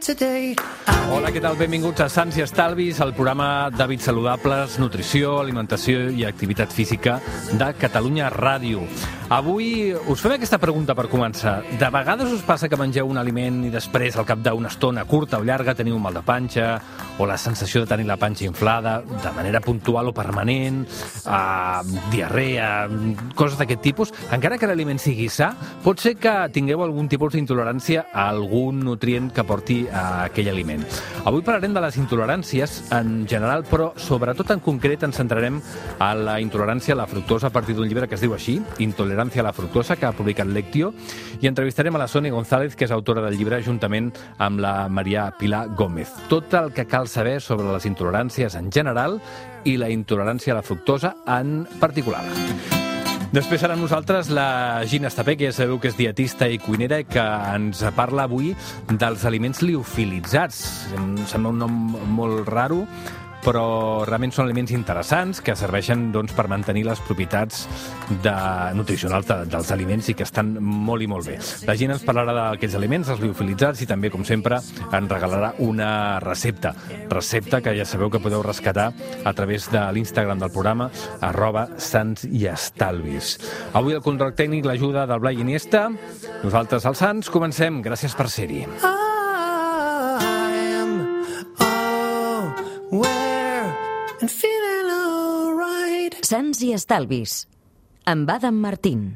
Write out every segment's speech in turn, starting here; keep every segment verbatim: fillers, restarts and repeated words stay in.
Hola, què tal? Benvinguts a Sants i Estalvis, el programa d'hàbits saludables, nutrició, alimentació i activitat física de Catalunya Ràdio. Avui us fem aquesta pregunta per començar. De vegades us passa que mengeu un aliment i després, al cap d'una estona curta o llarga, teniu un mal de panxa o la sensació de tenir la panxa inflada de manera puntual o permanent, eh, diarrea, coses d'aquest tipus. Encara que l'aliment sigui sa, pot ser que tingueu algun tipus d'intolerància a algun nutrient que porti a aquell aliment. Avui parlarem de les intoleràncies en general, però sobretot en concret ens centrarem a la intolerància a la fructosa a partir d'un llibre que es diu així, Intolerancia a la fructosa, que ha publicat Lectio, i entrevistarem a la Sònia González, que és autora del llibre, juntament amb la Maria Pilar Gómez. Tot el que cal saber sobre les intoleràncies en general i la intolerància a la fructosa en particular. Després serà amb nosaltres la Gina Estapé, que ja sabeu que és dietista i cuinera, que ens parla avui dels aliments liofilitzats. Em sembla un nom molt raro, però realment són aliments interessants que serveixen doncs, per mantenir les propietats de, nutricionals de, dels aliments i que estan molt i molt bé. La Gina ens parlarà d'aquests aliments, els liofilitzats, i també, com sempre, ens regalarà una recepta. Recepta que ja sabeu que podeu rescatar a través de l'Instagram del programa, arroba Sants i Estalvis. Avui el control tècnic l'ajuda del Blai Iniesta. Nosaltres, els Sants, comencem. Gràcies per ser-hi. Sants i Estalvis, amb Adam Martín.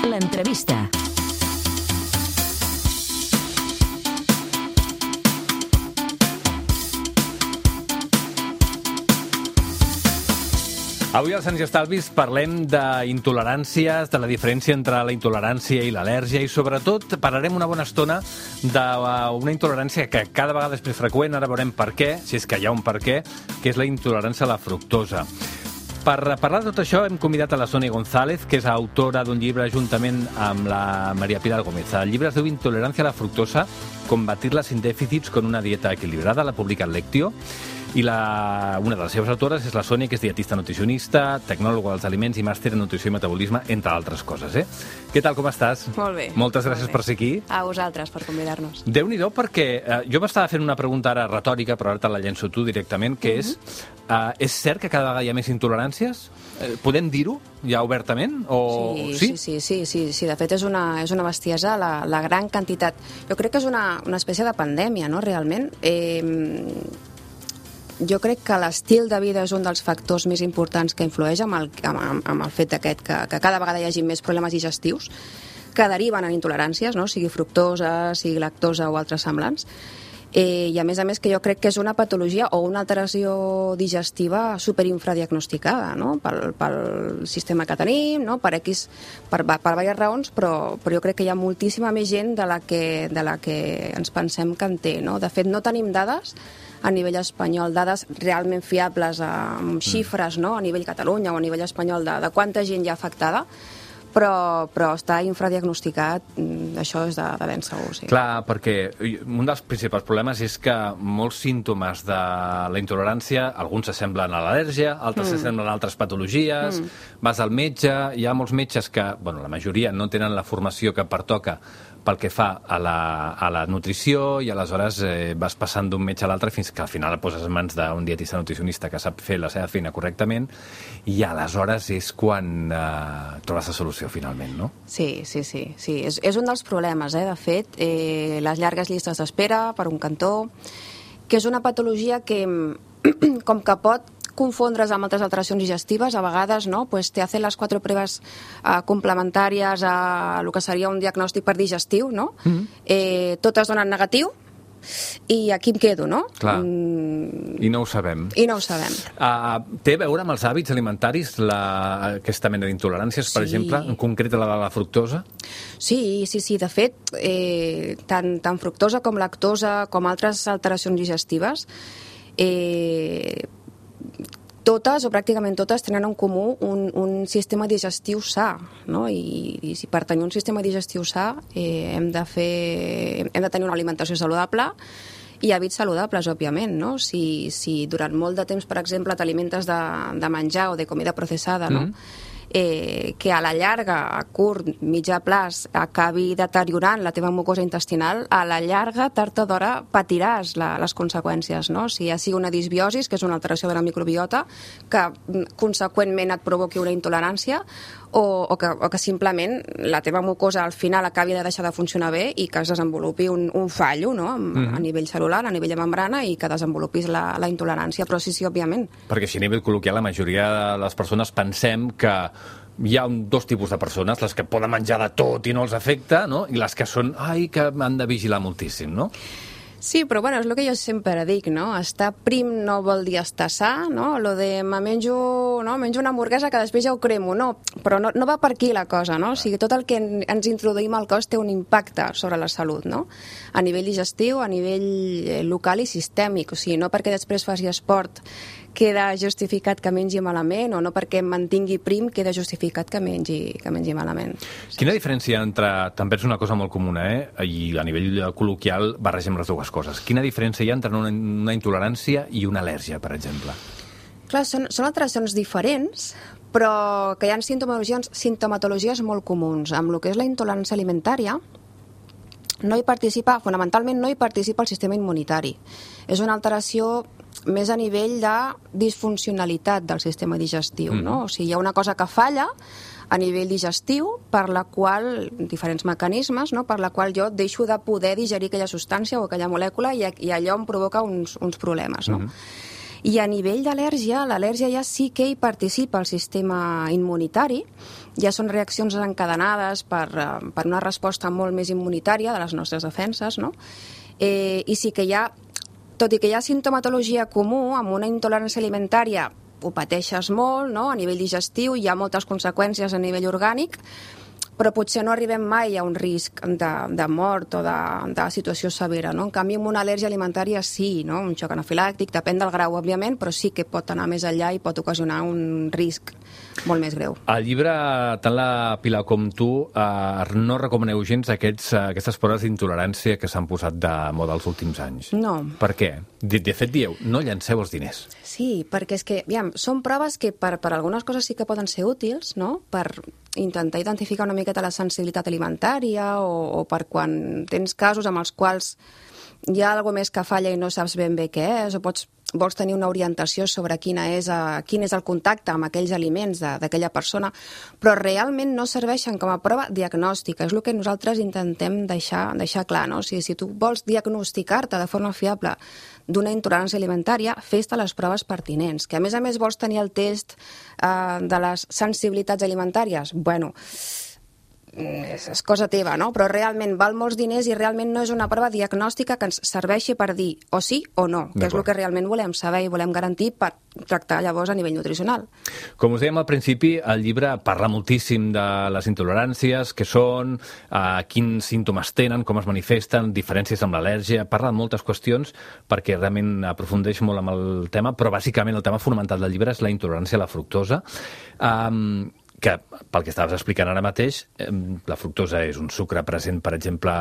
L'entrevista. Avui als Sants i Estalvis parlem d'intoleràncies, de la diferència entre la intolerància i l'al·lèrgia, i sobretot parlarem una bona estona d'una intolerància que cada vegada és més freqüent, ara veurem per què, si és que hi ha un per què, que és la intolerància a la fructosa. Per parlar de tot això hem convidat a la Sònia González, que és autora d'un llibre juntament amb la Maria Pilar Gómez. El llibre es diu Intolerancia a la fructosa, combatirla sin déficits con una dieta equilibrada, l'ha publicat Lectio, i la, una de les seves autores és la Sònia, que és dietista nutricionista, tecnòloga dels aliments i màster en nutrició i metabolisme, entre altres coses. Eh? Què tal, com estàs? Molt bé. Moltes gràcies molt bé. per ser aquí. A vosaltres, per convidar-nos. Déu-n'hi-do, perquè eh, jo m'estava fent una pregunta ara retòrica, però ara te la llenço tu directament, que és, eh, és cert que cada vegada hi ha més intoleràncies? Eh, podem dir-ho ja obertament? O... Sí, sí, sí, sí, sí, sí. De fet és una, és una bestiesa la, la gran quantitat. Jo crec que és una, una espècie de pandèmia, no?, realment. Eh, jo crec que l'estil de vida és un dels factors més importants que influeix amb el, amb, amb el fet aquest que, que cada vegada hi hagi més problemes digestius que deriven en intoleràncies, no?, sigui fructosa, sigui lactosa o altres semblants. Eh, I a més a més que jo crec que és una patologia o una alteració digestiva superinfradiagnosticada, no?, pel, pel sistema que tenim, no?, per X, per, per diverses raons, però, però jo crec que hi ha moltíssima més gent de la que, de la que ens pensem que en té, no? De fet, no tenim dades a nivell espanyol, dades realment fiables amb xifres, no?, a nivell Catalunya o a nivell espanyol de, de quanta gent hi ha afectada, però, però està infradiagnosticat, això és de, de ben segur, sí. Clar, perquè un dels principals problemes és que molts símptomes de la intolerància, alguns s'assemblen a l'al·lèrgia, altres s'assemblen mm. a altres patologies, mm. vas al metge, hi ha molts metges que, bueno, la majoria no tenen la formació que pertoca pel que fa a la, a la nutrició, i aleshores eh, vas passant d'un metge a l'altre fins que al final et poses en mans d'un dietista nutricionista que sap fer la seva feina correctament, i aleshores és quan eh, trobes la solució finalment, no? Sí, sí, sí, sí. És, és un dels problemes, eh, de fet, eh, les llargues llistes d'espera per un cantó, que és una patologia que com que pot confondre's amb altres alteracions digestives, a vegades, no? Pues te hacen les quatre proves uh, complementàries a el que seria un diagnòstic per digestiu, no? Mm-hmm. eh, totes donen negatiu, i aquí em quedo, no? Clar. Mm... I no ho sabem. I no ho sabem. Uh, té a veure amb els hàbits alimentaris la, aquesta mena d'intoleràncies, per sí. exemple, en concret la de la fructosa? Sí, sí, sí. De fet, eh, tant, tant fructosa com lactosa, com altres alteracions digestives, eh, totes, o pràcticament totes, tenen en comú un, un sistema digestiu sa, no? I, i si per tenir un sistema digestiu sa eh, hem de fer, hem de tenir una alimentació saludable i hàbits saludables, òbviament, no? Si, si durant molt de temps, per exemple, t'alimentes de, de menjar o de comida processada, no? Mm. eh, que a la llarga, a curt, mitjà plaç, acabi deteriorant la teva mucosa intestinal, a la llarga, tard o d'hora, patiràs la, les conseqüències, no? Si ja sigui una disbiosis, que és una alteració de la microbiota, que conseqüentment et provoqui una intolerància, o, o, que, o que simplement la teva mucosa al final acabi de deixar de funcionar bé i que es desenvolupi un, un fallo, no? A, mm-hmm. a nivell celular, a nivell de membrana, i que desenvolupis la, la intolerància. Però sí, sí, òbviament. Perquè si a nivell col·loquial la majoria de les persones pensem que hi ha un, dos tipus de persones, les que poden menjar de tot i no els afecta, no? I les que són, ai, que han de vigilar moltíssim, no? Sí, però bueno, és el que jo sempre dic, no? Estar prim no vol dir estar sa, no? Lo de me menjo, no? menjo una hamburguesa que després ja ho cremo, no? Però no, no va per aquí la cosa, no? O sigui, tot el que ens introduïm al cos té un impacte sobre la salut, no? A nivell digestiu, a nivell local i sistèmic, o sigui, no perquè després faci esport queda justificat que mengi malament, o no perquè em mantingui prim queda justificat que mengi, que mengi malament. Quina diferència entre, també és una cosa molt comuna, eh? I a nivell col·loquial barregem les dues coses. Quina diferència hi ha entre una, una intolerància i una al·lèrgia, per exemple? Clar, són, són alteracions diferents, però que hi ha sintomatologies, sintomatologies molt comuns. Amb el que és la intolerància alimentària, no hi participa, fonamentalment no hi participa el sistema immunitari. És una alteració més a nivell de disfuncionalitat del sistema digestiu, mm. no? O sigui, hi ha una cosa que falla a nivell digestiu per la qual, diferents mecanismes, no? Per la qual jo deixo de poder digerir aquella substància o aquella molècula i, i allò em provoca uns, uns problemes, no? Mm. I a nivell d'al·lèrgia, l'al·lèrgia ja sí que hi participa el sistema immunitari, ja són reaccions encadenades per, per una resposta molt més immunitària de les nostres defenses, no? Eh, I sí que hi ha, tot i que hi ha sintomatologia comú, amb una intolerància alimentària ho pateixes molt, no? A nivell digestiu, hi ha moltes conseqüències a nivell orgànic, però potser no arribem mai a un risc de, de mort o de, de situació severa, no? En canvi, amb una al·lèrgia alimentària sí, no? Un xoc anafilàctic, depèn del grau, òbviament, però sí que pot anar més enllà i pot ocasionar un risc molt més greu. Al llibre, tant la Pilar com tu, eh, no recomaneu gens aquests, aquestes proves d'intolerància que s'han posat de moda els últims anys. No. Per què? De, de fet, dieu, no llanceu els diners. Sí, perquè és que, aviam, són proves que per, per algunes coses sí que poden ser útils, no? Per intentar identificar una miqueta la sensibilitat alimentària o, o per quan tens casos amb els quals hi ha alguna més que falla i no saps ben bé què és, o pots, vols tenir una orientació sobre quina és, a, quin és el contacte amb aquells aliments d'aquella persona, però realment no serveixen com a prova diagnòstica. És el que nosaltres intentem deixar, deixar clar, no? O sigui, si tu vols diagnosticar-te de forma fiable d'una intolerància alimentària, fes-te les proves pertinents. Que a més a més vols tenir el test eh, de les sensibilitats alimentàries, bueno, és, és cosa teva, no? Però realment val molts diners i realment no és una prova diagnòstica que ens serveixi per dir o sí o no, que és el que realment volem saber i volem garantir per tractar llavors a nivell nutricional. Com us dèiem al principi, el llibre parla moltíssim de les intoleràncies, què són, eh, quins símptomes tenen, com es manifesten, diferències amb l'al·lèrgia, parla de moltes qüestions perquè realment aprofundeix molt amb el tema, però bàsicament el tema fonamental del llibre és la intolerància a la fructosa. Um, que, pel que estaves explicant ara mateix, la fructosa és un sucre present, per exemple,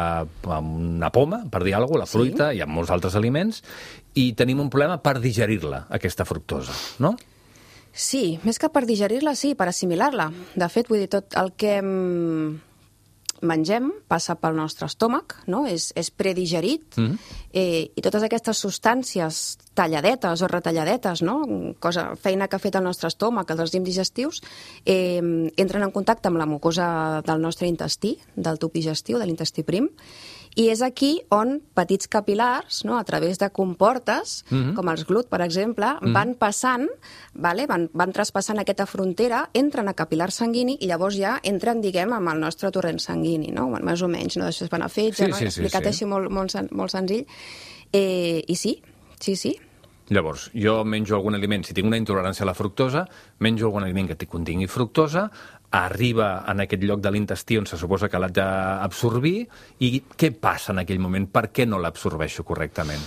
en una poma, per dir alguna cosa, la fruita, sí. I en molts altres aliments, i tenim un problema per digerir-la, aquesta fructosa, no? Sí, més que per digerir-la, sí, per assimilar-la. De fet, vull dir, tot el que mengem passa pel nostre estómac, no? És, és predigerit, mm-hmm. eh, i totes aquestes substàncies talladetes o retalladetes, no? Cosa, feina que ha fet el nostre estómac, els enzims digestius, eh, entren en contacte amb la mucosa del nostre intestí, del tub digestiu, de l'intestí prim, i és aquí on petits capil·lars, no, a través de comportes, mm-hmm. com els glut, per exemple, mm-hmm. van passant, vale? van, van traspassant aquesta frontera, entren a capil·lar sanguini i llavors ja entren, diguem, amb el nostre torrent sanguini, no? Bueno, més o menys, no? Després van a fetge, sí, no? Sí, explicat sí, sí. així molt, molt, molt senzill. Eh, I sí, sí, sí. Llavors, jo menjo algun aliment, si tinc una intolerància a la fructosa, menjo algun aliment que contingui fructosa, arriba en aquest lloc de l'intestí on se suposa que l'ha d'absorbir, i què passa en aquell moment? Per què no l'absorbeixo correctament?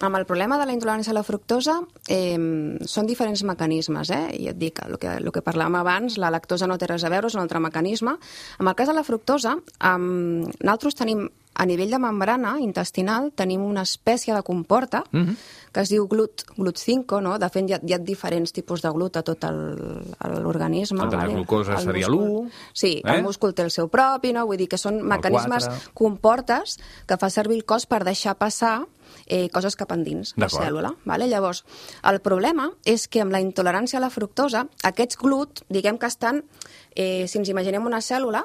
Amb el problema de la intolerància a la fructosa eh, són diferents mecanismes, eh? I et dic, el que, el que parlàvem abans, la lactosa no té res a veure, és un altre mecanisme. En el cas de la fructosa, eh, nosaltres tenim a nivell de membrana intestinal tenim una espècie de comporta mm-hmm. que es diu glut, glut cinco, no? De fet, hi ha, hi ha diferents tipus de glut a tot l'organisme. El de la glucosa seria l'u. Sí, eh? El múscul té el seu propi, no? Vull dir que són mecanismes, comportes, que fa servir el cos per deixar passar eh, coses cap endins de la cèl·lula. Vale? Llavors, el problema és que amb la intolerància a la fructosa, aquests glut, diguem que estan, eh, si ens imaginem una cèl·lula,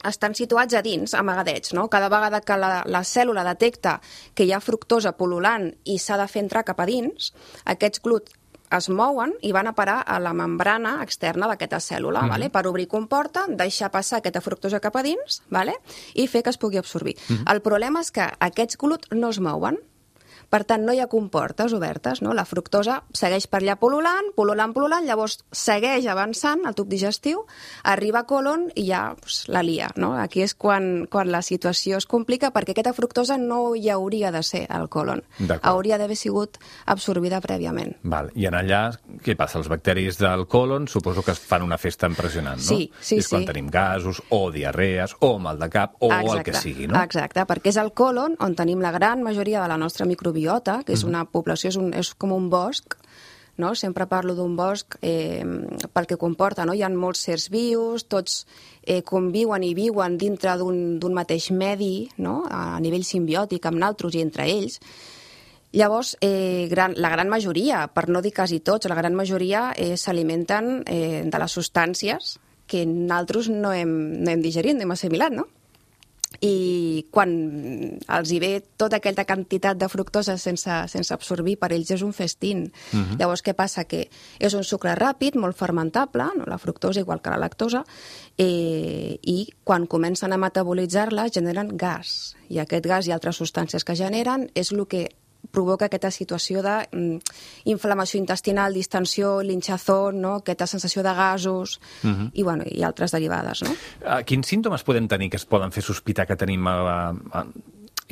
estan situats a dins, amagadets, no? Cada vegada que la, la cèl·lula detecta que hi ha fructosa pol·lulant i s'ha de fer entrar cap a dins, aquests glut es mouen i van a parar a la membrana externa d'aquesta cèl·lula, mm-hmm. vale? Per obrir comporta, deixar passar aquesta fructosa cap a dins, vale? I fer que es pugui absorbir. Mm-hmm. El problema és que aquests glut no es mouen. Per tant, no hi ha comportes obertes, no? La fructosa segueix per allà pol·lulant, pol·lulant, pol·lulant, llavors segueix avançant al tub digestiu, arriba a colon i ja pues, la lia, no? Aquí és quan, quan la situació es complica perquè aquesta fructosa no hi hauria de ser al colon. Hauria d'haver sigut absorbida prèviament. Val. I en allà, què passa? Els bacteris del colon suposo que es fan una festa impressionant, no? Sí, sí, és quan sí. tenim gasos, o diarrees, o mal de cap, o exacte, el que sigui, no? Exacte, perquè és al colon on tenim la gran majoria de la nostra microbiota, que és una població, és, un, és com un bosc, no? Sempre parlo d'un bosc eh, pel que comporta, no? Hi ha molts sers vius, tots eh, conviuen i viuen dintre d'un mateix medi, no? A nivell simbiòtic amb naltros i entre ells. Llavors, eh, gran, la gran majoria, per no dir quasi tots, la gran majoria eh, s'alimenten eh, de les substàncies que nosaltres no hem, no hem digerit, no hem assimilat, no? I quan els hi ve tota aquella quantitat de fructosa sense, sense absorbir, per ells és un festín. Uh-huh. Llavors, què passa? Que és un sucre ràpid, molt fermentable, no? La fructosa igual que la lactosa, eh, i quan comencen a metabolitzar-la generen gas. I aquest gas i altres substàncies que generen és el que provoca aquesta situació d'inflamació intestinal, distensió, l'inxazón, no? Aquesta sensació de gasos uh-huh. i, bueno, i altres derivades. No? Uh, quins símptomes podem tenir que es poden fer sospitar que tenim uh, uh,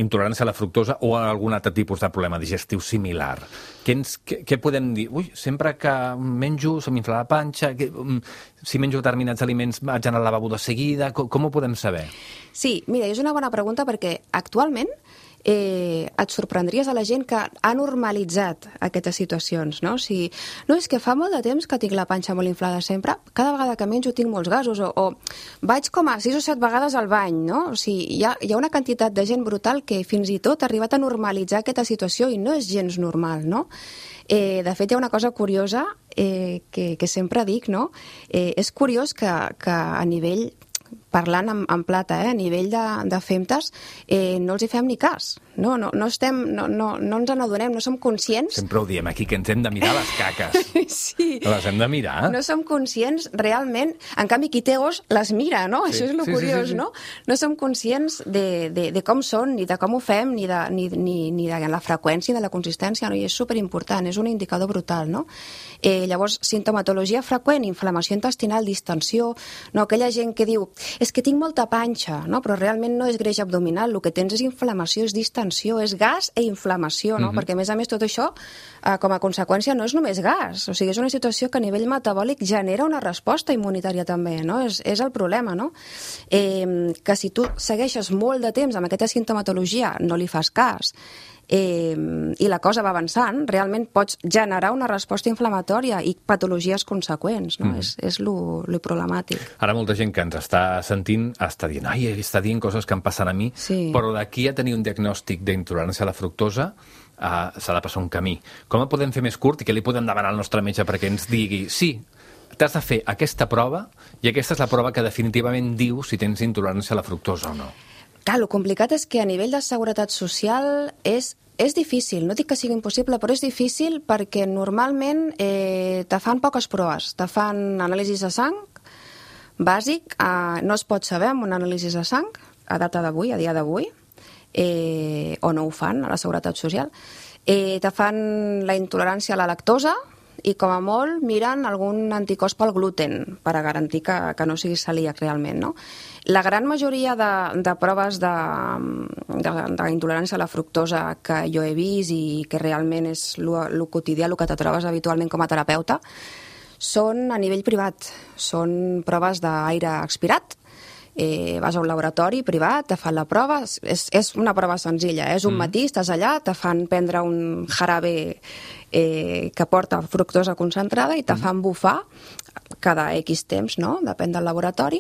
intolerància a la fructosa o a algun altre tipus de problema digestiu similar? Què, ens, què, què podem dir? Ui, sempre que menjo se m'infla la panxa, que, um, si menjo determinats aliments vaig anar al lavabo de seguida, com, com ho podem saber? Sí, mira, és una bona pregunta perquè actualment Eh, et sorprendries a la gent que ha normalitzat aquestes situacions, no? Si, no, és que fa molt de temps que tinc la panxa molt inflada sempre, cada vegada que menjo tinc molts gasos, o, o vaig com a sis o set vegades al bany, no? O sigui, hi ha, hi ha una quantitat de gent brutal que fins i tot ha arribat a normalitzar aquesta situació i no és gens normal, no? Eh, de fet, hi ha una cosa curiosa eh, que, que sempre dic, no? Eh, és curiós que, que a nivell parlant en, en plata, eh, a nivell de, de femtes, eh, no els hi fem ni cas. No, no, no, estem, no, no, no ens n'adonem, no som conscients. Sempre ho diem aquí, que ens hem de mirar les caques. Sí. Les hem de mirar. No som conscients realment. En canvi, qui té os les mira, no? Sí. Això és el sí, curiós, sí, sí, sí. no? No som conscients de, de, de com són, ni de com ho fem, ni de, ni, ni, ni de la freqüència, de la consistència, no? I és superimportant, és un indicador brutal, no? Eh, llavors, sintomatologia freqüent, inflamació intestinal, distensió, no? Aquella gent que diu, és que tinc molta panxa, no? Però realment no és greix abdominal, el que tens és inflamació, és distensió, és gas e inflamació, no? Mm-hmm. Perquè, a més a més, tot això, eh, com a conseqüència, no és només gas, o sigui, és una situació que a nivell metabòlic genera una resposta immunitària també, no? És, és el problema, no? Eh, que si tu segueixes molt de temps amb aquesta sintomatologia, no li fas cas, Eh, i la cosa va avançant, realment pots generar una resposta inflamatòria i patologies conseqüents, no? Mm. És, és lo, lo problemàtic. Ara molta gent que ens està sentint està dient, ai, està dient coses que em passen a mi, sí. Però d'aquí a tenir un diagnòstic d'intolerància a la fructosa uh, s'ha de passar un camí. Com el podem fer més curt i què li podem demanar al nostre metge perquè ens digui, sí, t'has de fer aquesta prova i aquesta és la prova que definitivament diu si tens intolerància a la fructosa o no? Clar, el complicat és que a nivell de seguretat social és, és difícil. No dic que sigui impossible, però és difícil perquè normalment eh, te fan poques proves. Te fan anàlisis de sang, bàsic, eh, no es pot saber amb un anàlisi de sang, a data d'avui, a dia d'avui, eh, o no ho fan a la seguretat social. Eh, te fan la intolerància a la lactosa, i com a molt miren algun anticòs pel gluten per a garantir que, que no sigui celíac realment, no? La gran majoria de, de proves d'intolerància a la fructosa que jo he vist i que realment és el quotidià, el que te trobes habitualment com a terapeuta, són a nivell privat. Són proves d'aire expirat, eh, vas a un laboratori privat, te fan la prova, és, és una prova senzilla, és un mm. matí, estàs allà, te fan prendre un jarabe eh, que porta fructosa concentrada i te mm. fan bufar cada X temps, no? Depèn del laboratori,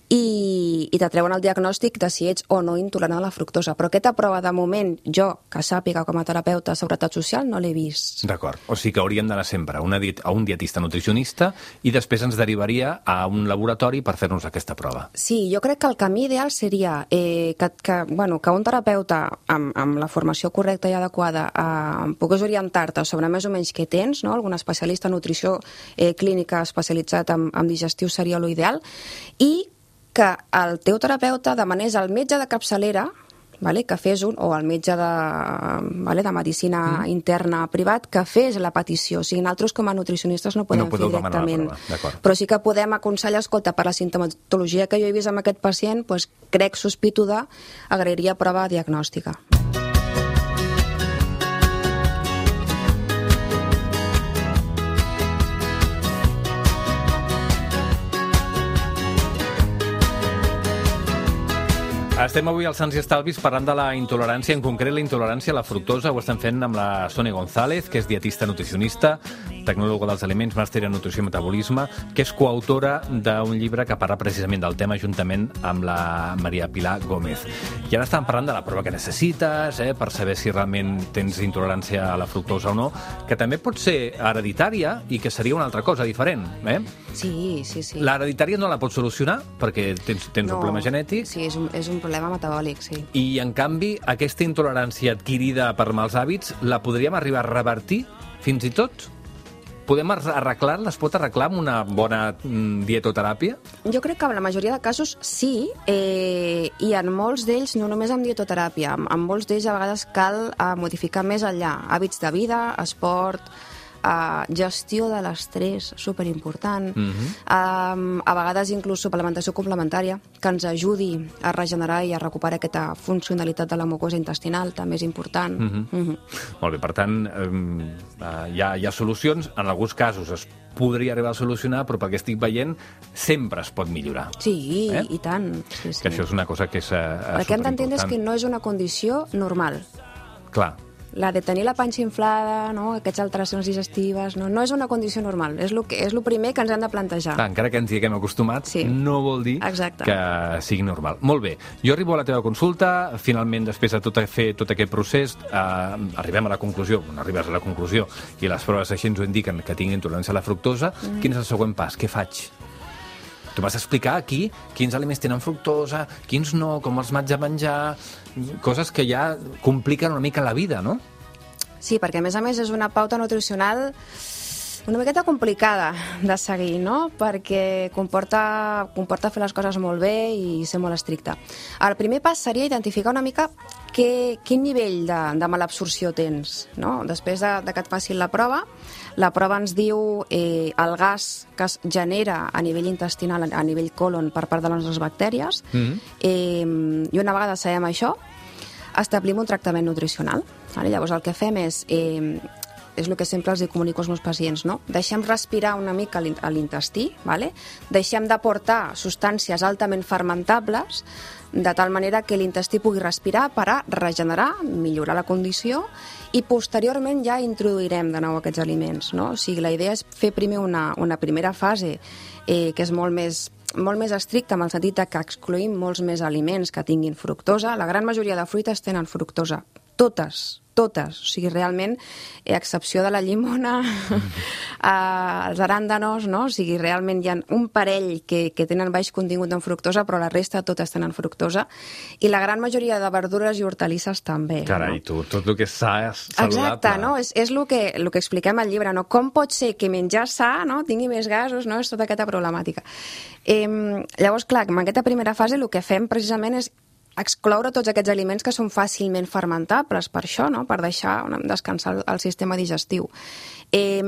i, i te treuen el diagnòstic de si ets o no intolerant a la fructosa. Però aquesta prova, de moment, jo, que sàpiga com a terapeuta de Seguretat Social, no l'he vist. D'acord. O sigui que hauríem d'anar sempre a, una diet, a un dietista nutricionista i després ens derivaria a un laboratori per fer-nos aquesta prova. Sí, jo crec que el camí ideal seria eh, que, que, bueno, que un terapeuta amb, amb la formació correcta i adequada eh, pogués orientar-te sobre més o menys què tens, no? Algun especialista en nutrició eh, clínica especialitzat amb, amb digestiu seria l'ideal, i que el teu terapeuta demanés al metge de capçalera, vale, que fes un, o al metge de, vale, de medicina mm. interna privat, que fes la petició. O sigui, nosaltres com a nutricionistes no podem no fer directament. Però sí que podem aconsellar, escolta, per la sintomatologia que jo he vist amb aquest pacient, doncs, crec, sospito de, agrairia prova diagnòstica. Estem avui als Sants i Estalvis parlant de la intolerància, en concret la intolerància a la fructosa. Ho estem fent amb la Sònia González, que és dietista nutricionista, tecnòloga dels aliments, màster en nutrició i metabolisme, que és coautora d'un llibre que parla precisament del tema juntament amb la Maria Pilar Gómez. I ara estàvem parlant de la prova que necessites, eh, per saber si realment tens intolerància a la fructosa o no, que també pot ser hereditària i que seria una altra cosa diferent. Eh? Sí, sí, sí. L'hereditària no la pots solucionar perquè tens, tens no, un problema genètic. Sí, és un, és un problema metabòlic, sí. I, en canvi, aquesta intolerància adquirida per mals hàbits la podríem arribar a revertir fins i tot? Podem arreglar-la? Es pot arreglar amb una bona mm, dietoteràpia? Jo crec que en la majoria de casos sí, eh, i en molts d'ells no només amb dietoteràpia. En, en molts d'ells a vegades cal eh, modificar més enllà. Hàbits de vida, esport, Uh, gestió de l'estrès, superimportant. Uh-huh. uh, a vegades inclús suplementació complementària que ens ajudi a regenerar i a recuperar aquesta funcionalitat de la mucosa intestinal, també és important. Uh-huh. Uh-huh. Molt bé, per tant, um, uh, hi, ha, hi ha solucions, en alguns casos es podria arribar a solucionar, però pel que estic veient sempre es pot millorar. Sí, eh? i tant. Sí, sí. Que això és una cosa que és uh, superimportant. El que hem d'entendre és que no és una condició normal. Clar. La de tenir la panxa inflada, no? Aquestes alteracions digestives, no, no és una condició normal. És el que, és el primer que ens hem de plantejar. Clar, encara que ens hi haguem acostumat, sí. no vol dir Exacte. Que sigui normal. Molt bé, jo arribo a la teva consulta, finalment, després de tot, fer tot aquest procés, eh, arribem a la conclusió, no arribes a la conclusió, i les proves així ens ho indiquen que tinc intolerància a la fructosa. Mm. Quin és el següent pas? Què faig? Tu vas explicar aquí quins aliments tenen fructosa, quins no, com els m'haig de menjar, coses que ja compliquen una mica la vida, no? Sí, perquè a més a més és una pauta nutricional una miqueta complicada de seguir, no? Perquè comporta, comporta fer les coses molt bé i ser molt estricte. El primer pas seria identificar una mica que, quin nivell de, de malabsorció tens, no? Després de, de que et facin la prova, la prova ens diu eh, el gas que es genera a nivell intestinal, a nivell colon, per part de les nostres bactèries, mm-hmm. eh, i una vegada sabem això, establim un tractament nutricional. Vale? Llavors el que fem és, eh, és el que sempre els comunico als meus pacients, no? Deixem respirar una mica a l'intestí, vale? Deixem d'aportar substàncies altament fermentables, de tal manera que l'intestí pugui respirar per a regenerar, millorar la condició, i posteriorment ja introduirem de nou aquests aliments, no? O sigui, la idea és fer primer una, una primera fase eh, que és molt més molt més estricta, en el sentit que excloïm molts més aliments que tinguin fructosa. La gran majoria de fruites tenen fructosa. Totes, totes. O sigui, realment, a excepció de la llimona, els aràndanos, no? O sigui, realment hi ha un parell que, que tenen baix contingut en fructosa, però la resta totes tenen fructosa. I la gran majoria de verdures i hortalisses també. Carai, no? tu, tot el que és sa és saludable. Exacte, no? És, és el, que, el que expliquem al llibre, no? Com pot ser que menjar sa, no? Tingui més gasos, no? És tota aquesta problemàtica. Eh, llavors, clar, en aquesta primera fase el que fem precisament és excloure tots aquests aliments que són fàcilment fermentables, per això, no? Per deixar descansar el sistema digestiu. Eh,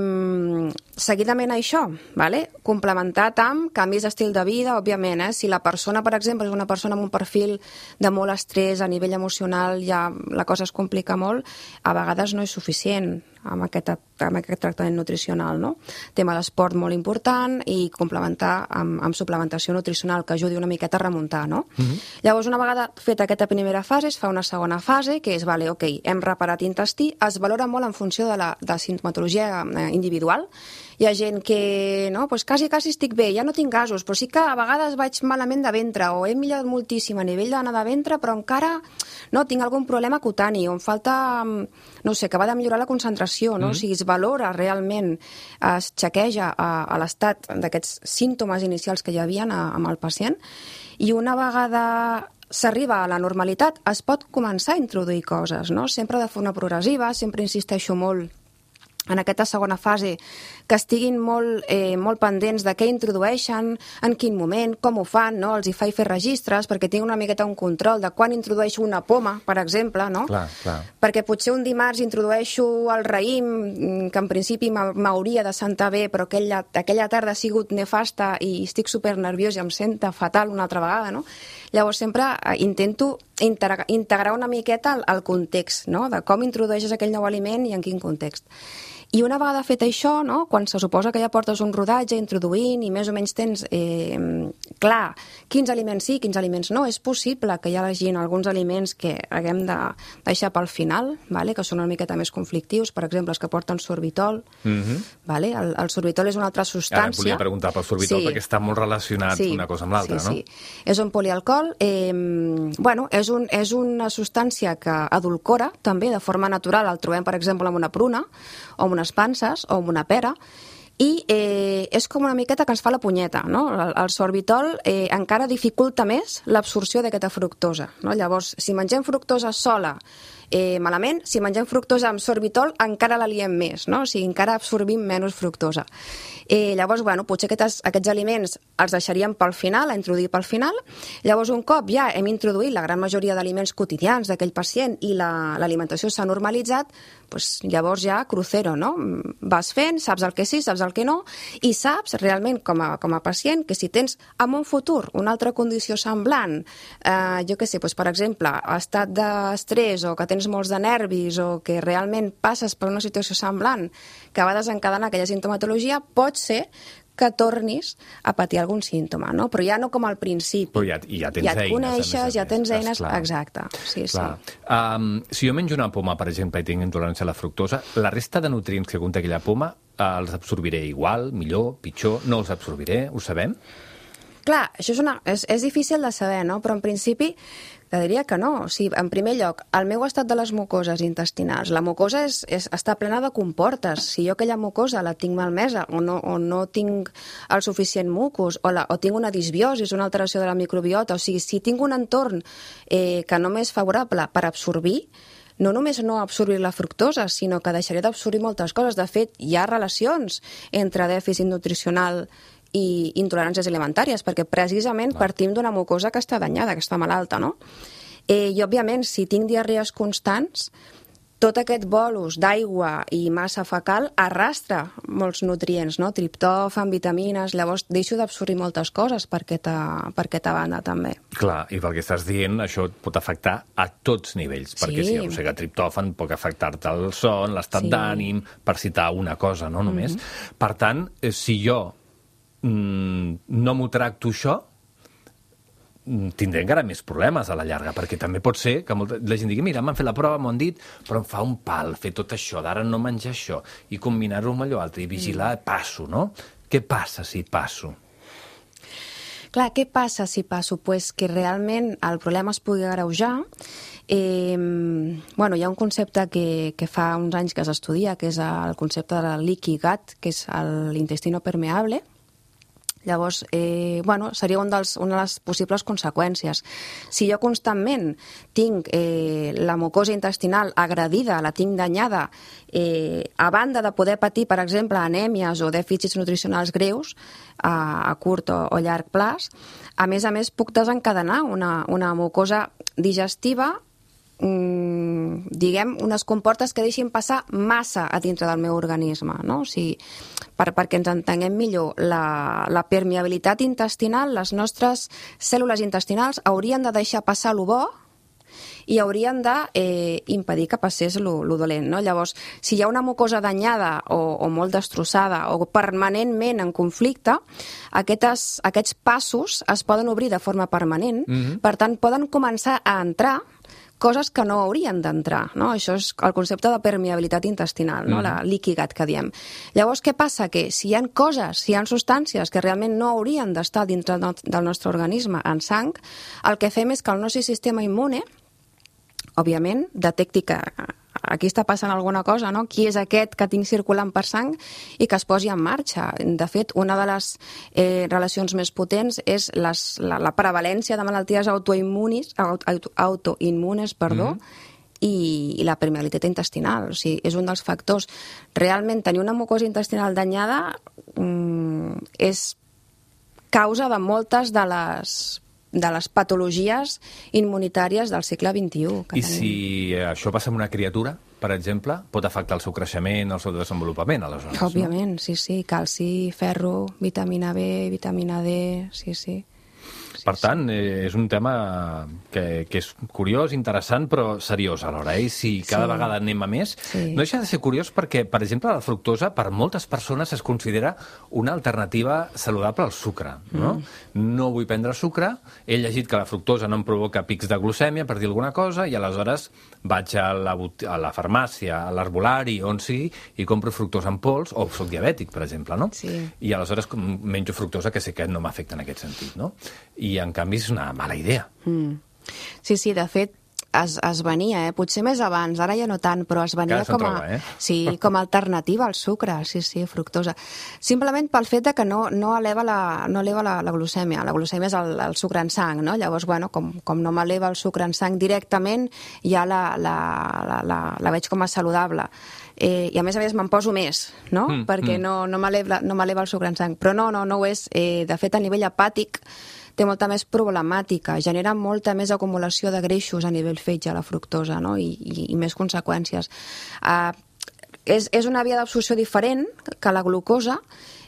seguidament a això, vale? Complementat amb canvis d'estil de vida, òbviament. Eh? Si la persona, per exemple, és una persona amb un perfil de molt estrès a nivell emocional, ja la cosa es complica molt, a vegades no és suficient. amb aquest, amb aquest tractament nutricional, no? Tema d'esport molt important i complementar amb, amb suplementació nutricional que ajudi una miqueta a remuntar, no? Mm-hmm. Llavors, una vegada feta aquesta primera fase, es fa una segona fase, que és, vale, ok, hem reparat intestí, es valora molt en funció de la, de la simptomatologia individual. Hi ha gent que, no, doncs quasi, quasi estic bé, ja no tinc gasos, però sí que a vegades vaig malament de ventre, o he millorat moltíssim a nivell d'anar de ventre, però encara, no, tinc algun problema cutani, o em falta, no sé, que va de millorar la concentració, no? Mm. O sigui, es valora realment, es xequeja a, a l'estat d'aquests símptomes inicials que hi havia amb el pacient, i una vegada s'arriba a la normalitat, es pot començar a introduir coses, no? Sempre de forma progressiva, sempre insisteixo molt en aquesta segona fase, que estiguin molt, eh, molt pendents de què introdueixen, en quin moment, com ho fan, no? Els hi faig fer registres perquè tinc una miqueta un control de quan introdueixo una poma, per exemple, no? Clar, clar. Perquè potser un dimarts introdueixo el raïm, que en principi m'hauria de sentar bé, però aquella, aquella tarda ha sigut nefasta i estic supernerviós i em senta fatal una altra vegada, no? Llavors sempre intento integrar, integrar una miqueta el, el context, no? De com introdueixes aquell nou aliment i en quin context. I una vegada fet això, no, quan se suposa que ja portes un rodatge introduint i més o menys tens eh, clar quins aliments sí, quins aliments no, és possible que hi hagi alguns aliments que haguem de deixar pel final, vale, que són una miqueta més conflictius, per exemple, els que porten sorbitol. Mm-hmm. Vale? El, el sorbitol és una altra substància. Ara volia preguntar pel sorbitol, sí, perquè està molt relacionat sí, una cosa amb l'altra, sí, no? Sí. És un polialcohol, eh, bueno, és, un, és una substància que adulcora també de forma natural, el trobem, per exemple, amb una pruna o amb unes panses o amb una pera, i eh, és com una miqueta que ens fa la punyeta, no? El, el sorbitol eh, encara dificulta més l'absorció d'aquesta fructosa, no? Llavors, si mengem fructosa sola, eh, malament, si mengem fructosa amb sorbitol, encara la liem més, no? O sigui, encara absorbim menys fructosa. Eh, llavors, bueno, potser aquests, aquests aliments els deixaríem pel final, a introduir pel final. Llavors, un cop ja hem introduït la gran majoria d'aliments quotidians d'aquell pacient i l'alimentació la, s'ha normalitzat, doncs llavors ja crucero, no? Vas fent, saps el que sí, saps el que no, i saps realment com a, com a pacient que si tens en un futur una altra condició semblant, eh, jo què sé, doncs, per exemple, estat d'estrès o que tens molts de nervis o que realment passes per una situació semblant que va desencadenar aquella sintomatologia, pot ser que tornis a patir algun símptoma, no? Però ja no com al principi. Però ja, ja tens ja et eines. coneixes, ja tens eines, clar. Exacte. Sí, clar. sí. Um, si jo menjo una poma, per exemple, i tinc intolerància a la fructosa, la resta de nutrients que conté aquella poma uh, els absorbiré igual, millor, pitjor, no els absorbiré, ho sabem? Clar, això és, una, és, és difícil de saber, no? Però en principi te diria que no. O sigui, en primer lloc, el meu estat de les mucoses intestinals. La mucosa és, és, està plena de comportes. Si jo aquella mucosa la tinc malmesa o no, o no tinc el suficient mucus o, la, o tinc una disbiosi, una alteració de la microbiota, o sigui, si tinc un entorn eh, que no m'és favorable per absorbir, no només no absorbir la fructosa, sinó que deixaré d'absorbir moltes coses. De fet, hi ha relacions entre dèficit nutricional i intoleràncies alimentàries, perquè precisament partim d'una mucosa que està danyada, que està malalta, no? Eh, I, òbviament, si tinc diarrees constants, tot aquest bolus d'aigua i massa fecal arrastra molts nutrients, no? Triptòfan, vitamines, llavors deixo d'absorbir moltes coses per aquesta, per aquesta banda, també. Clar, i pel que estàs dient, això et pot afectar a tots nivells, sí. Perquè si hi ha un segat triptòfan pot afectar-te el son, l'estat sí. d'ànim, per citar una cosa, no només. Mm-hmm. Per tant, si jo no m'ho tracto això, tindré encara més problemes a la llarga, perquè també pot ser que molta, la gent digui, mira, m'han fet la prova, m'ho han dit, però em fa un pal fer tot això, d'ara no menjar això, i combinar-ho amb allò altre, i vigilar, passo, no? Què passa si passo? Clar, què passa si passo? Pues que realment el problema es pugui agreujar. Eh, bueno, hi ha un concepte que, que fa uns anys que s'estudia, que és el concepte de leaky gut, que és l'intestino permeable. Llavors, eh, bueno, seria un dels, una de les possibles conseqüències. Si jo constantment tinc eh, la mucosa intestinal agredida, la tinc danyada, eh, a banda de poder patir, per exemple, anèmies o dèficits nutricionals greus a, a curt o, o llarg plaç, a més a més puc desencadenar una, una mucosa digestiva, mm, diguem, unes comportes que deixin passar massa a dintre del meu organisme, no? O sigui, per, perquè ens entenguem millor, la, la permeabilitat intestinal, les nostres cèl·lules intestinals haurien de deixar passar lo bo i haurien de eh, impedir que passés lo, lo dolent, no? Llavors, si hi ha una mucosa danyada o, o molt destrossada o permanentment en conflicte, aquestes, aquests passos es poden obrir de forma permanent, mm-hmm. per tant, poden començar a entrar coses que no haurien d'entrar, no? Això és el concepte de permeabilitat intestinal, no? Mm. La liquigat que diem. Llavors, què passa? Que si hi ha coses, si hi ha substàncies que realment no haurien d'estar dintre del nostre organisme en sang, el que fem és que el nostre sistema immune, òbviament, detecti que aquí està passant alguna cosa, no? Qui és aquest que tinc circulant per sang i que es posi en marxa. De fet, una de les eh, relacions més potents és les, la, la prevalència de malalties autoimmunis, auto, autoimmunes, perdó, mm. i, i la permeabilitat intestinal. O sigui, és un dels factors. Realment, tenir una mucosa intestinal danyada mm, és causa de moltes de les de les patologies immunitàries del segle vint-i-u. I si això passa amb una criatura, per exemple, pot afectar el seu creixement, el seu desenvolupament, aleshores, no? Òbviament, sí, sí. Calci, ferro, vitamina B, vitamina D, sí, sí. Sí, per tant, eh, és un tema que, que és curiós, interessant, però seriós alhora. Eh? I si cada sí. vegada anem a més, sí. no deixa de ser curiós perquè, per exemple, la fructosa per moltes persones es considera una alternativa saludable al sucre. No, mm. no vull prendre sucre, he llegit que la fructosa no em provoca pics de glucèmia, per dir alguna cosa, i aleshores vaig a la, a la farmàcia, a l'herbolari, on sigui, i compro fructosa en pols, o soc diabètic, per exemple, no? Sí. I aleshores menjo fructosa, que sé que no m'afecta en aquest sentit, no? I, en canvi, és una mala idea. Mm. Sí, sí, de fet, es, es venia, eh? Potser més abans, ara ja no tant, però es venia com a, troba, eh? sí, com a alternativa al sucre, sí, sí, fructosa. Simplement pel fet de que no, no eleva, la, no eleva la, la glucèmia. La glucèmia és el, el sucre en sang, no? Llavors, bueno, com, com no m'eleva el sucre en sang directament, ja la, la, la, la, la veig com a saludable. Eh, I a més a més me'n poso més, no? Mm, Perquè mm. no, no m'eleva no m'eleva el sucre en sang. Però no, no, no ho és. Eh, de fet, a nivell hepàtic, té molta més problemàtica, genera molta més acumulació de greixos a nivell fetge, la fructosa, no? I, i, i més conseqüències. Uh, és, és una via d'absorció diferent que la glucosa,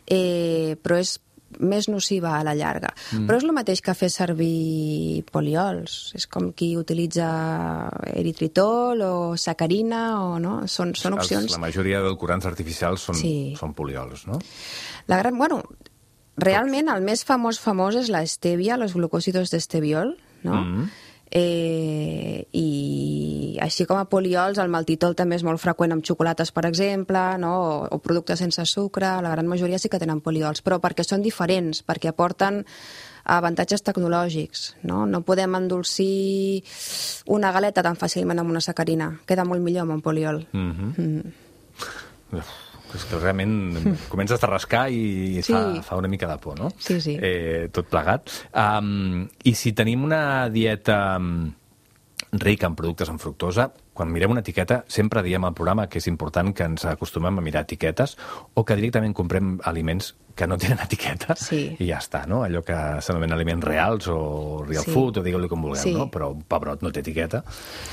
eh, però és més nociva a la llarga. Mm. Però és el mateix que fer servir poliols. És com qui utilitza eritritol o sacarina, o, no? Són, són opcions... La majoria d'edulcorants artificials són, sí. són poliols, no? La gran... Bueno, realment el més famós famós és la stevia, los glucòsidos d'esteviol, no? Mm. Eh, i així com a poliols, el maltitol també és molt freqüent amb xocolates, per exemple, no? o, o productes sense sucre. La gran majoria sí que tenen poliols, però perquè són diferents, perquè aporten avantatges tecnològics, no? No podem endolcir una galeta tan fàcilment amb una sacarina, queda molt millor amb un poliol. Mm-hmm. Mm. És que realment comences a rascar i sí. fa, fa una mica de por, no? Sí, sí. Eh, tot plegat. Um, I si tenim una dieta rica en productes amb fructosa, quan mirem una etiqueta, sempre diem al programa que és important que ens acostumem a mirar etiquetes o que directament comprem aliments que no tenen etiqueta sí. i ja està, no? Allò que s'anomenen aliments reals o real sí. food, o digueu-li com vulgueu, sí. no? Però un pebrot no té etiqueta.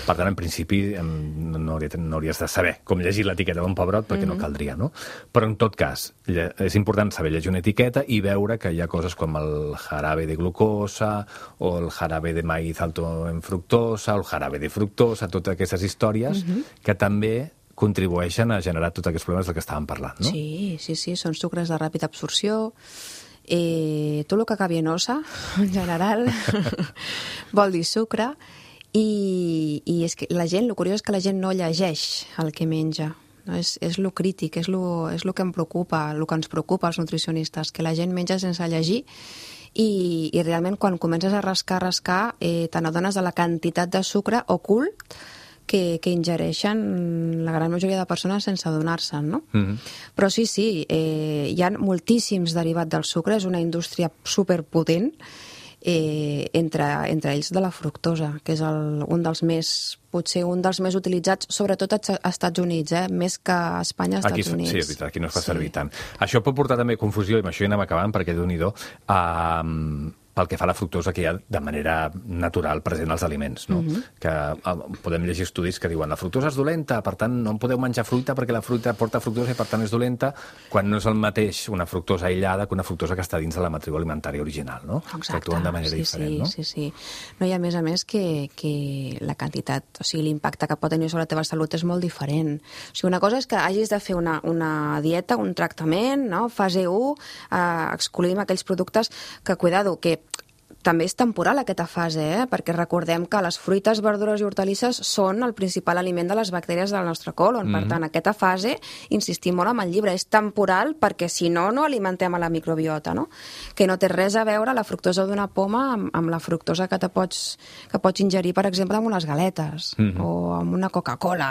Per tant, en principi, no, hauria, no hauries de saber com llegir l'etiqueta d'un pebrot perquè mm-hmm. no caldria, no? Però, en tot cas, és important saber llegir una etiqueta i veure que hi ha coses com el jarabe de glucosa o el jarabe de maíz alto en fructosa o el jarabe de fructosa, totes aquestes històries mm-hmm. que també contribueixen a generar tots aquests problemes del que estàvem parlant, no? Sí, sí, sí, són sucres de ràpida absorció. Eh, tot el que acabi en ossa, en general, vol dir sucre. I, i és que la gent, el curiós és que la gent no llegeix el que menja. No? És, és lo crític, és lo, és lo que em preocupa, el que ens preocupa als nutricionistes, que la gent menja sense llegir. I, i realment quan comences a rascar, rascar, eh, te n'adones de la quantitat de sucre ocult que, que ingereixen la gran majoria de persones sense adonar-se'n, no? Mm-hmm. Però sí, sí, eh, hi ha moltíssims derivats del sucre, és una indústria superpotent, eh, entre, entre ells de la fructosa, que és el, un dels més, potser un dels més utilitzats, sobretot als Estats Units, eh? Més que a Espanya, als aquí, Estats Units. Sí, és veritat, aquí no es fa sí. servir tant. Això pot portar també confusió, i amb això ja anem acabant, perquè Déu-n'hi-do, eh, pel que fa a la fructosa que hi ha de manera natural present als aliments, no? Mm-hmm. Que eh, podem llegir estudis que diuen la fructosa és dolenta, per tant no en podeu menjar fruita perquè la fruita porta fructosa i per tant és dolenta, quan no és el mateix una fructosa aïllada que una fructosa que està dins de la matriu alimentària original, no? Exacte, que actuen de manera sí, diferent, sí, no? Sí, sí, no, i a més a més que, que la quantitat, o sigui, l'impacte que pot tenir sobre la teva salut és molt diferent. O sigui, una cosa és que hagis de fer una, una dieta, un tractament, no? Fase u, eh, excluïm aquells productes que, cuidado, que també és temporal aquesta fase, eh? Perquè recordem que les fruites, verdures i hortalisses són el principal aliment de les bactèries del nostre colon. Mm-hmm. Per tant, aquesta fase, insistim molt amb el llibre, és temporal perquè si no, no alimentem a la microbiota, no? Que no té res a veure la fructosa d'una poma amb, amb la fructosa que, te pots, que pots ingerir, per exemple, amb unes galetes mm-hmm. o amb una Coca-Cola,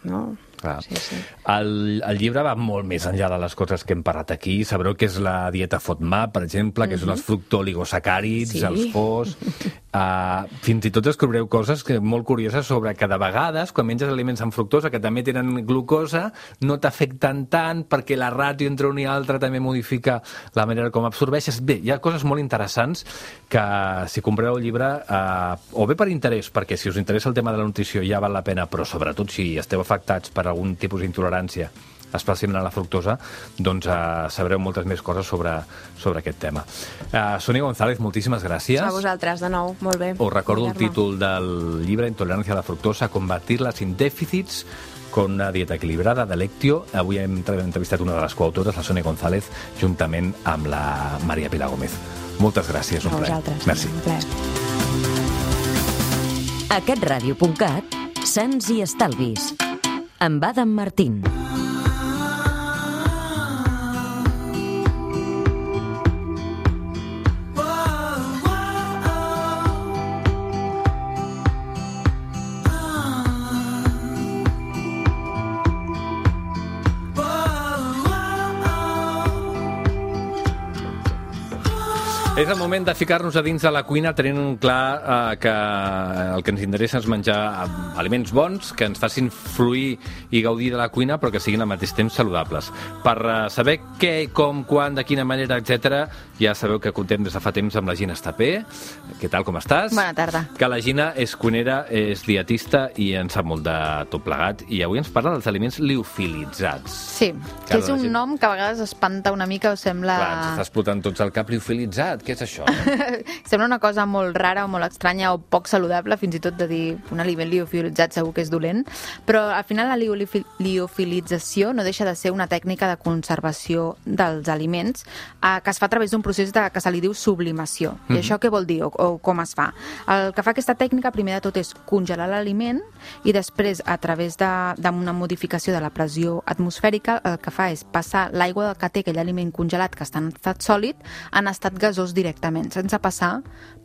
no? Clar. Sí, sí. El, el llibre va molt més enllà de les coses que hem parlat aquí. Sabreu que és la dieta FODMAP, per exemple, que mm-hmm. són els fructooligosacàrids, sí. els fos... Uh, fins i tot descobreu coses que molt curioses sobre que de vegades, quan menges aliments amb fructosa, que també tenen glucosa, no t'afecten tant perquè la ràtio entre un i altre també modifica la manera com absorbeixes. Bé, hi ha coses molt interessants que, si compreu el llibre, uh, o bé per interès, perquè si us interessa el tema de la nutrició ja val la pena, però sobretot si esteu afectats per algun tipus d'intolerància, especialment a la fructosa, doncs uh, sabreu moltes més coses sobre, sobre aquest tema. Uh, Sònia González, moltíssimes gràcies. A vosaltres, de nou, molt bé. Us recordo el títol del llibre Intolerancia a la fructosa, combatirla sin déficits, con una dieta equilibrada, de Lectio. Avui hem entrevistat una de les coautores, la Sònia González, juntament amb la Maria Pilar Gómez. Moltes gràcies, un plaer. A vosaltres. Merci. Un plaer. Aquest ràdio punt cat, Sants i Estalvis, amb Adam Martín. És el moment de ficar-nos a dins de la cuina tenint clar eh, que el que ens interessa és menjar aliments bons, que ens facin fluir i gaudir de la cuina, però que siguin al mateix temps saludables. Per eh, saber què, com, quan, de quina manera, etcètera, ja sabeu que contem des de fa temps amb la Gina Estapé. Què tal, com estàs? Bona tarda. Que la Gina és cuinera, és dietista i en sap molt de tot plegat. I avui ens parla dels aliments liofilitzats. Sí, que, que és un gent... nom que a vegades espanta una mica o sembla... Clar, ens està explotant tots el cap liofilitzat. Què és això? No? Sembla una cosa molt rara o molt estranya o poc saludable, fins i tot de dir un aliment liofilitzat segur que és dolent, però al final la liofilització no deixa de ser una tècnica de conservació dels aliments eh, que es fa a través d'un procés de, que se li diu sublimació. Mm-hmm. I això què vol dir o, o com es fa? El que fa aquesta tècnica primer de tot és congelar l'aliment i després a través d'una modificació de la pressió atmosfèrica el que fa és passar l'aigua que té aquell aliment congelat que està en estat sòlid en estat gasós directament, sense passar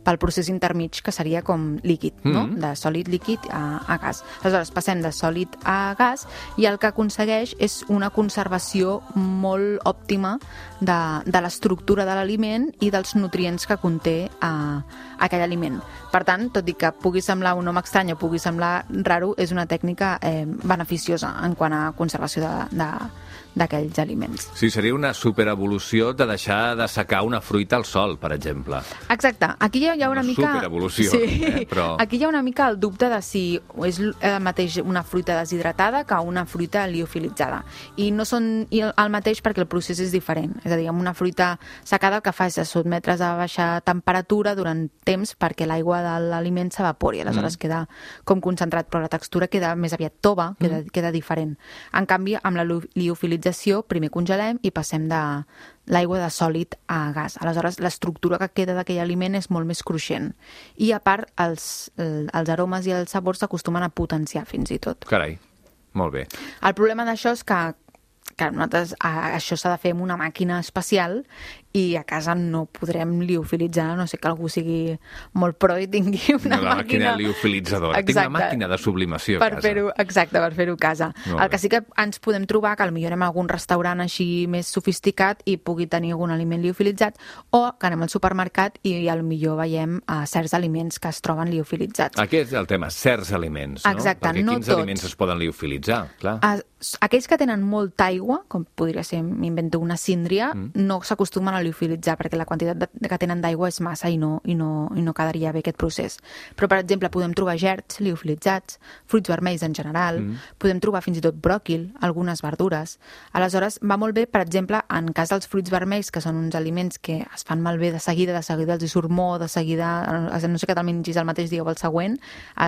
pel procés intermig, que seria com líquid, no? Mm-hmm. De sòlid líquid a, a gas. Aleshores, passem de sòlid a gas i el que aconsegueix és una conservació molt òptima de, de l'estructura de l'aliment i dels nutrients que conté a, aquell aliment. Per tant, tot i que pugui semblar un nom estrany o pugui semblar raro, és una tècnica eh, beneficiosa en quant a conservació de, de d'aquells aliments. Sí, seria una superevolució de deixar de secar una fruita al sol, per exemple. Exacte. Aquí hi ha una, una mica... Una superevolució, sí. eh? Però... Aquí hi ha una mica el dubte de si és el mateix una fruita deshidratada que una fruita liofilitzada. I no són el mateix perquè el procés és diferent. És a dir, amb una fruita secada el que fa és sotmetre's a baixa temperatura durant temps perquè l'aigua de l'aliment s'evapori. Aleshores mm. queda com concentrat, però la textura queda més aviat tova, queda, mm. queda diferent. En canvi, amb la liofilització primer congelem i passem de l'aigua de sòlid a gas. Aleshores, l'estructura que queda d'aquell aliment és molt més cruixent. I, a part, els, els aromes i els sabors s'acostumen a potenciar, fins i tot. Carai, molt bé. El problema d'això és que que nosaltres a, això s'ha de fer amb una màquina especial i a casa no podrem liofilitzar, no sé que algú sigui molt pro i tingui una, una màquina... màquina liofilitzadora. Exacte. Tinc una màquina de sublimació per a casa. Fer-ho, exacte, per fer-ho a casa. Molt el que sí que ens podem trobar, que potser anem a algun restaurant així més sofisticat i pugui tenir algun aliment liofilitzat, o que anem al supermercat i potser veiem uh, certs aliments que es troben liofilitzats. Aquest és el tema, certs aliments, no? Exacte, perquè no quins tots. aliments es poden liofilitzar, clar. Uh, aquells que tenen molta aigua, com podria ser, m'invento una síndria, mm. no s'acostumen a liofilitzar perquè la quantitat de, que tenen d'aigua és massa i no, i, no, i no quedaria bé aquest procés. Però, per exemple, podem trobar gerds liofilitzats, fruits vermells en general, mm. podem trobar fins i tot bròquil, algunes verdures. Aleshores, va molt bé, per exemple, en cas dels fruits vermells, que són uns aliments que es fan malbé de seguida, de seguida els hi surt mo, de seguida, no sé que te'l mengis el mateix dia o el següent,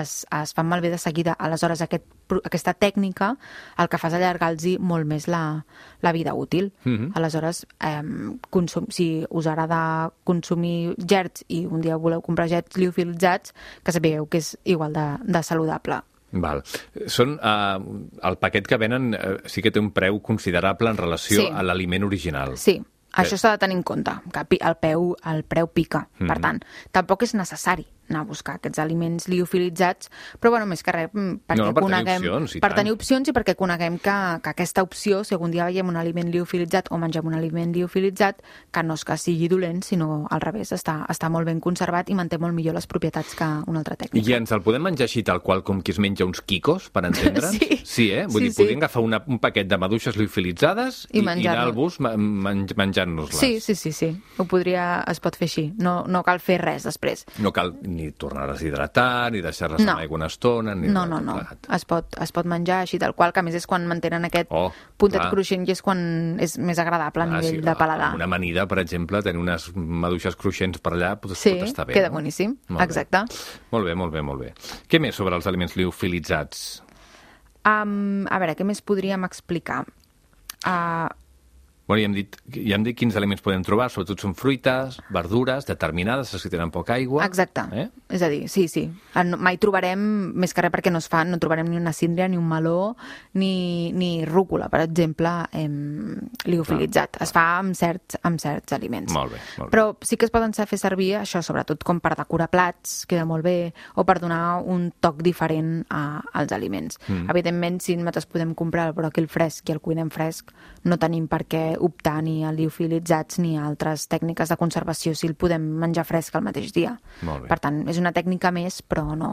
es, es fan malbé de seguida. Aleshores, aquest, aquesta tècnica el que fa és allargar-los molt més la, la vida útil. Mm-hmm. Aleshores, eh, consum, si us agrada consumir gerds i un dia voleu comprar gerds liofilitzats, que sapigueu que és igual de, de saludable. Val. Són, uh, el paquet que venen uh, sí que té un preu considerable en relació sí. a l'aliment original. Sí. Això s'ha de tenir en compte, que el, peu, el preu pica. Mm-hmm. Per tant, tampoc és necessari anar a buscar aquests aliments liofilitzats, però bueno, més que res perquè no, per coneguem... Tenir opcions, per tenir opcions i perquè coneguem que, que aquesta opció, si algun dia veiem un aliment liofilitzat o mengem un aliment liofilitzat, que no és que sigui dolent, sinó al revés, està, està molt ben conservat i manté molt millor les propietats que una altra tècnica. I ens el podem menjar així tal qual com qui es menja uns quicos, per entendre'ns? Sí. Sí, eh? Vull sí, dir, sí. podríem agafar una, un paquet de maduixes liofilitzades i, i, i anar al bus menj, menjant-nos-les. Sí, sí, sí, sí. Ho podria, es pot fer així. No, no cal fer res després. No cal ni tornar a deshidratar, ni deixar-les no. en aigua una estona, ni no, no, no. Es pot, es pot menjar així tal qual, que a més és quan mantenen aquest oh, puntet clar. cruixent i és quan és més agradable a ah, nivell sí, de paladar. Una amanida, per exemple, tenir unes maduixes cruixents per allà pot, sí, pot estar bé. Sí, queda no? boníssim. Molt exacte. Bé. Molt bé, molt bé, molt bé. Què més sobre els aliments liofilitzats? Um, a veure, què més podríem explicar? Uh, Bueno, ja hem dit, ja hem dit quins aliments podem trobar, sobretot són fruites, verdures, determinades, si tenen poca aigua. Exacte. Eh? És a dir, sí, sí. Mai trobarem, més que res perquè no es fan, no trobarem ni una síndria, ni un meló, ni, ni rúcula, per exemple, em, liofilitzat. Clar, es fa amb certs, amb certs aliments. Molt bé, molt bé. Però sí que es poden fer servir, això, sobretot com per decorar plats, queda molt bé, o per donar un toc diferent a, als aliments. Mm. Evidentment, si nosaltres podem comprar el bròquil fresc i el cuinem fresc, no tenim per què optar ni a liofilitzats ni a altres tècniques de conservació si el podem menjar fresc el mateix dia. Per tant, és una tècnica més, però no,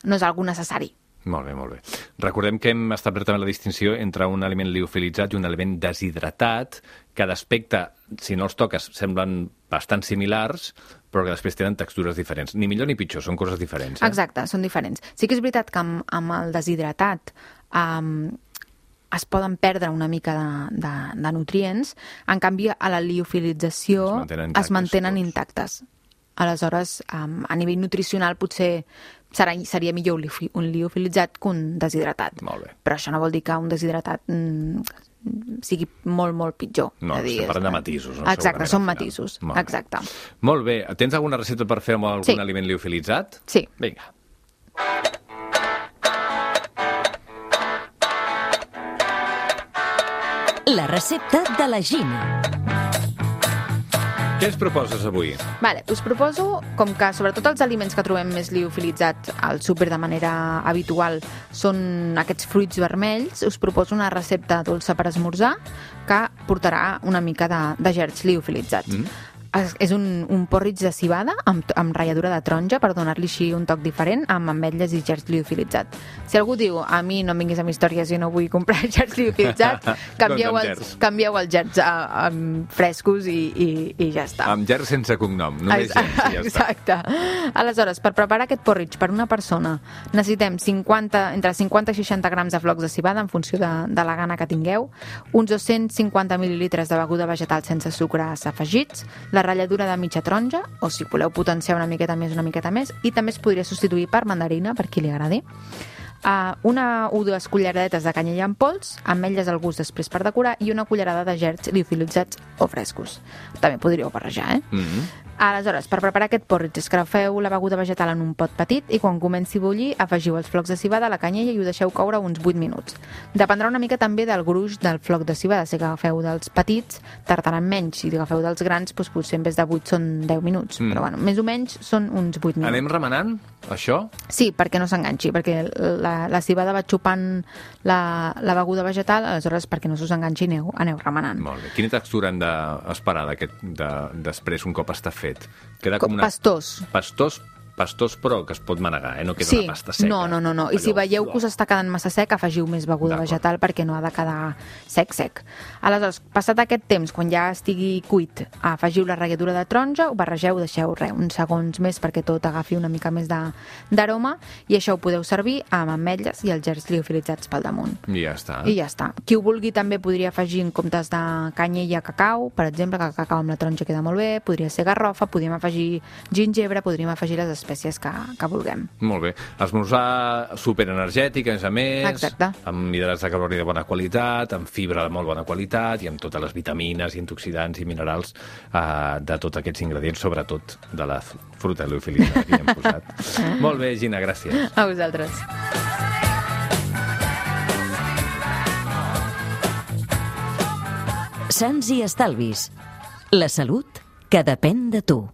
no és algo necessari. Molt bé, molt bé. Recordem que hem establert també la distinció entre un aliment liofilitzat i un aliment deshidratat, que d'aspecte, si no els toques, semblen bastant similars, però que després tenen textures diferents. Ni millor ni pitjor, són coses diferents. Eh? Exacte, són diferents. Sí que és veritat que amb, amb el deshidratat um, es poden perdre una mica de, de, de nutrients, en canvi a la liofilització es mantenen intactes. Es mantenen intactes. Aleshores, um, a nivell nutricional potser serà, seria millor un liofilitzat que un deshidratat. Molt bé. Però això no vol dir que un deshidratat mm, sigui molt, molt pitjor. No, estem parlant de matisos. No? Exacte, són matisos. Molt exacte. Molt bé. Tens alguna recepta per fer amb algun sí. aliment liofilitzat? Sí. Vinga. La recepta de la Gina. Què ens proposes avui? Vale, us proposo, com que sobretot els aliments que trobem més liofilitzats al súper de manera habitual són aquests fruits vermells, us proposo una recepta dolça per esmorzar que portarà una mica de, de gerds liofilitzats. Mm. És, és un, un porridge de civada amb, amb ratlladura de taronja per donar-li així un toc diferent amb ametlles i gerds liofilitzats. Si algú diu, a mi no em vinguis amb històries i no vull comprar gerds liofilitzats, canvieu, doncs els, canvieu els gerds a, a, a frescos i, i, i ja està. Amb gerds sense cognom, només gerds i ja està. Exacte. Aleshores, per preparar aquest porridge per una persona necessitem cinquanta, entre cinquanta i seixanta grams de flocs de civada en funció de, de la gana que tingueu, uns dos-cents cinquanta mil·lilitres de beguda vegetal sense sucres afegits, la ratlladura de mitja taronja, o si voleu potenciar una miqueta més, una miqueta més, i també es podria substituir per mandarina, per qui li agradi. Uh, una o dues culleradetes de canyella en pols, ametlles al gust després per decorar, i una cullerada de gerds liofilitzats o frescos. També podríeu barrejar, eh? Mm-hmm. Aleshores, per preparar aquest porridge, escrafeu la beguda vegetal en un pot petit i quan comenci a bullir afegiu els flocs de civada a la canyella i ho deixeu coure uns vuit minuts. Dependrà una mica també del gruix del floc de civada. Si agafeu dels petits, tardaran menys. Si agafeu dels grans, doncs potser en vez de vuit són deu minuts. Mm. Però bueno, més o menys són uns vuit minuts. Anem remenant, això? Sí, perquè no s'enganxi, perquè la, la civada va xupant la, la beguda vegetal, aleshores perquè no s'us enganxi aneu, aneu remenant. Molt bé. Quina textura hem d'esperar d'aquest, de, després un cop està fet? Queda com una... Pastós. Pastós, pastós, però que es pot manegar, eh? No queda Sí, una pasta seca. no, no, no, no. I si Allò, veieu que us està quedant massa sec, afegiu més beguda D'acord. vegetal perquè no ha de quedar sec, sec. Aleshores, passat aquest temps, quan ja estigui cuit, afegiu la ratlladura de taronja, ho barregeu, deixeu res, uns segons més perquè tot agafi una mica més de- d'aroma, i això ho podeu servir amb ametlles i els gerds liofilitzats pel damunt. I ja està. I ja està. Qui ho vulgui també podria afegir en comptes de canyella cacau, per exemple, que el cacau amb la taronja queda molt bé, podria ser garrofa, podríem afegir gingebre, podríem afegir les espècies que, que vulguem. Molt bé. Esmorzar superenergètic, a més a més, Exacte. amb hidrats de carboni de bona qualitat, amb fibra de molt bona qualitat i amb totes les vitamines i antioxidants i minerals eh, de tots aquests ingredients, sobretot de la fruta liofilitzada que hi hem posat. Molt bé, Gina, gràcies. A vosaltres. Sants i estalvis. La salut que depèn de tu.